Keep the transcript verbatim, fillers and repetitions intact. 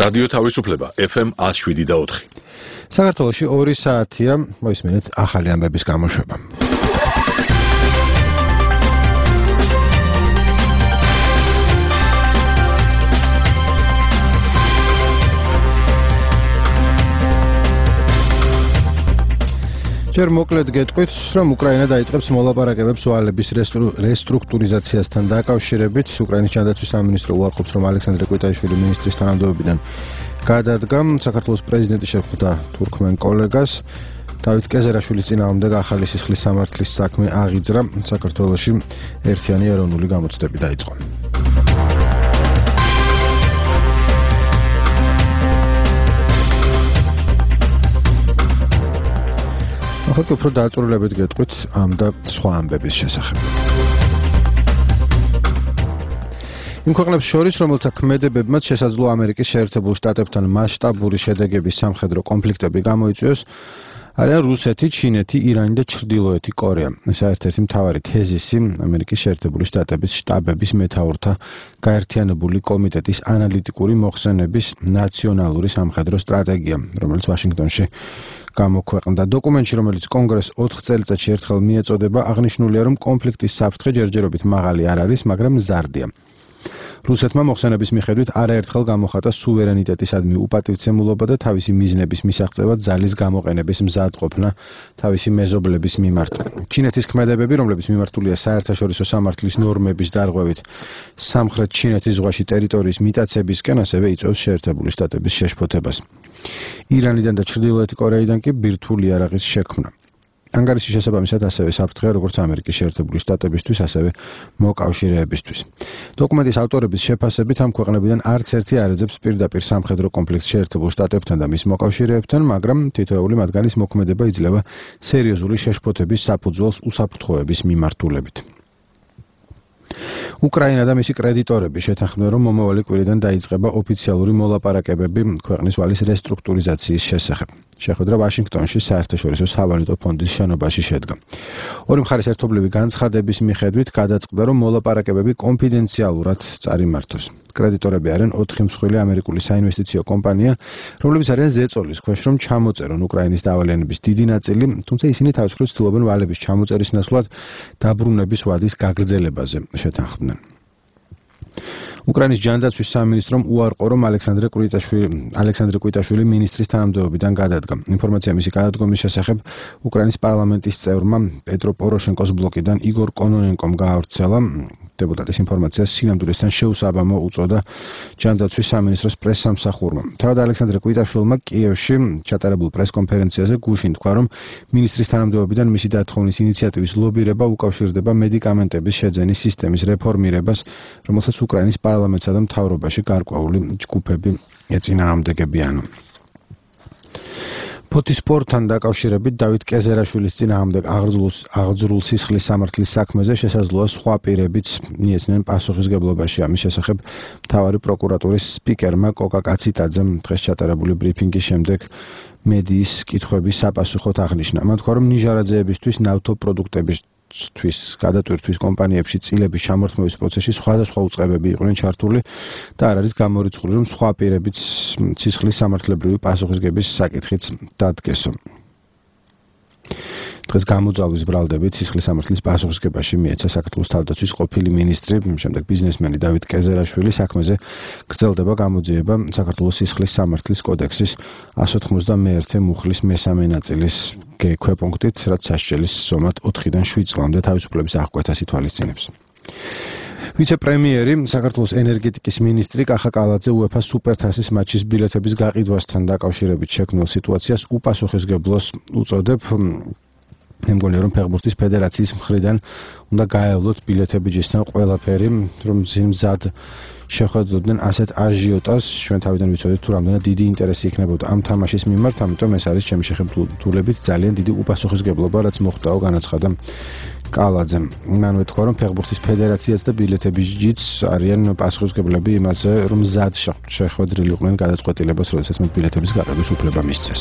რადიო თავისუფლება ეფ ემ ნული შვიდი და ოთხი. საქართველოში ორი საათია, მოისმენთ ახალი ამბების გამოშვება. ჯერ მოკლედ გეტყვით, რომ უკრაინა დაიწყებს მოლაპარაკებებს ვალების რესტრუქტურიზაციასთან დაკავშირებით. უკრაინის ჯანდაცვის სამინისტრო უარყოფს, რომ ალექსანდრე კვიტაიშვილი მინისტრის თანამდებობიდან გადადგა. საქართველოს პრეზიდენტი შეხვდა თურქმენ კოლეგას. დავით კეზერაშვილის წინააღმდეგ ახალი სისხლის სამართლის საქმე აღიძრა. საქართველოში ერთიანი ეროვნული გამოცდები დაიწყო. ახლა უფრო დაწვრილებით გეტყვით ამ და სხვა ამბების შესახებ. იმ ქვეყნებს შორის, რომელთა ქმედებებმაც შესაძლო ამერიკის შეერთებულ შტატებთან მასშტაბური შედეგების სამხედრო კონფლიქტები გამოიწვიოს, არიან რუსეთი, ჩინეთი, ირანი და ჩრდილოეთი კორეა. ეს ერთ-ერთი მთავარი თეზისი ამერიკის შეერთებული შტატების შტაბების მეთაურთა გაერთიანებული კომიტეტის ანალიტიკური მოხსენების ნაციონალური სამხედრო სტრატეგია, რომელიც ვაშინგტონში გამოქვეყნდა. დოკუმენტში, რომელიც კონგრესს ოთხ წელიწადში ერთხელ მიეწოდება, აღნიშნულია, რომ კონფლიქტის საფრთხე ჯერჯერობით მაღალი არ არის, მაგრამ მზარდია. რუსეთმა მოხსენების მიხედვით არაერთხელ გამოხატა სუვერენიტეტისადმი უპატივცემულობა და თავისი მიზნების მისაღწევად ძალის გამოყენების მზადყოფნა თავისი მეზობლების მიმართ. ჩინეთის ქმედებები, რომლებიც მიმართულია საერთაშორისო სამართლის ნორმების დარღვევით სამხრეთ ჩინეთის ზღვაში ტერიტორიის მიტაცებისკენ, ასევე იწვევს შეერთებული შტატების შეშფოთებას. ირანიდან და ჩრდილოეთი კორეიდან კი ბირთვული იარაღის შექმნა. ანგარიშის შესაბამისად ასევე საფრთხეა როგორც ამერიკის შეერთებული შტატებისთვის, ასევე მოკავშირეებისთვის. დოკუმენტის ავტორების შეფასებით ამ ქვეყნებიდან არც ერთი არ ეძებს პირდაპირ სამხედრო კონფლიქტს შეერთებულ შტატებთან და მის მოკავშირეებთან, მაგრამ თითოეული მათგანის მოქმედება იძლევა სერიოზული შეშფოთების საფუძველს უსაფრთხოების მიმართულებით. უკრაინა და მისი კრედიტორები შეთანხმდნენ, რომ მომავალი კვირიდან დაიწყება ოფიციალური მოლაპარაკებები ქვეყნის ვალის რესტრუქტურიზაციის შესახებ. შეხვედრა ვაშინგტონში საერთაშორისო სავალუტო ფონდის შენობაში შედგა. ორი მხარის ერთობლივი განცხადების მიხედვით გადაწყდა, რომ მოლაპარაკებები კონფიდენციალურად წარიმართოს. კრედიტორები არიან ოთხი მსხვილი ამერიკული საინვესტიციო კომპანია, რომლებიც არიან ზეწოლის ქვეშ, რომ ჩამოწერონ უკრაინის დავალიანების დიდი ნაწილი, თუმცა ისინი თავისუფლად ცდილობენ ვალების ჩამოწერის ნაცვლად დაბრუნების ვადის გაგრძელებაზე შეთანხმდნენ. უკრაინის ჯანდაცვის სამინისტრომ უარყო, რომ ალექსანდრე კვიტაშვილი ალექსანდრე კვიტაშვილი მინისტრის თანამდებობიდან გადადგა. ინფორმაცია მისი გადადგომის შესახებ უკრაინის პარლამენტის წევრმა პეტრო პოროშენკოს ბლოკიდან იგორ კონონენკომ გაავრცელა. დეპუტატის ინფორმაციას სინამდვილესთან შეუსაბამო უწოდა ჯანდაცვის სამინისტროს პრესსამსახურმა. თავად ალექსანდრე კვიტაშვილმა კიევში ჩატარებულ პრესკონფერენციაზე გუშინ თქვა, რომ მინისტრის თანამდებობიდან მისი დათხოვნის ინიციატივის ლობირება უკავშირდება მედიკამენტების შეძენის სისტემის რეფორმირებას, რომელსაც უკრაინის პარლამენტსა და მთავრობაში გარკვეული ჯგუფები ეწინააღმდეგებიან. ფოთისპორტთან დაკავშირებით დავით კეზერაშვილის წინააღმდეგ აღძრულ სისხლის სამართლის საქმეზე შესაძლოა სხვა პირებიც მიეცნენ პასუხისგებლობაში. ამის შესახებ მთავარი პროკურატურის სპიკერმა კოკა კაციტაძემ დღეს ჩატარებული ბრიფინგის შემდეგ მედიის კითხვების საპასუხოდ აღნიშნა. მან თქვა, რომ ნიჟარაძეებისთვის ნავთობპროდუქტების თვის გადატვირთვის კომპანიებში წილების ჩამორთმევის პროცესში სხვადასხვა უწყებები იყვნენ ჩართული და არ არის გამორიცხული, რომ სხვა პირებიც სისხლის სამართლებრივი პასუხისგების საკითხიც დადგესო. დღეს გამოძალვის ბრალდებით სისხლის სამართლის პასუხისგებაში მიეცა საქართველოს თავდაცვის ყოფილი მინისტრი, შემდეგ ბიზნესმენი დავით კეზერაშვილი. საქმეზე გრძელდება გამოძიება საქართველოს სისხლის სამართლის კოდექსის εκατს ოცდაათი მუხლის მესამე ნაწილის ქვეპუნქტით, რაც სასჯელის ზომად ოთხიდან შვიდ წლამდე თავისუფლების აღკვეთას ითვალისწინებს. ვიცე-პრემიერი, საქართველოს ენერგეტიკის მინისტრი კახა კალაძე უეფა სუპერთასის მატჩის ბილეთების გაყიდვასთან დაკავშირებით შექმნილ სიტუაციას უპასუხისმგებლოს უწოდებ. მე მგონია, რომ ფეხბურთის ფედერაციის მხრიდან უნდა გაევლოთ ბილეთებიჯისთან ყველაფერი, რომ მზად შეხვედროდნენ ასეთ აჟიოტას. ჩვენ თავიდან ვიცოდეთ, თუ რამდენად დიდი ინტერესი იქნებოდა ამ თამაშის მიმართ, ამიტომ ეს არის ჩემი შეხედულებით ძალიან დიდი უპასუხისმგებლობა, რაც მოხდაო, განაცხადა კალაძემ. მანვე თქვა, რომ ფეხბურთის ფედერაციაც და ბილეთებიჯიც არიან პასუხისმგებლები იმაზე, რომ მზად შეხვედრილიყვნენ გადაწყვეტილებას, როდესაც მათ ბილეთების გაყიდვის უფლება მისცეს.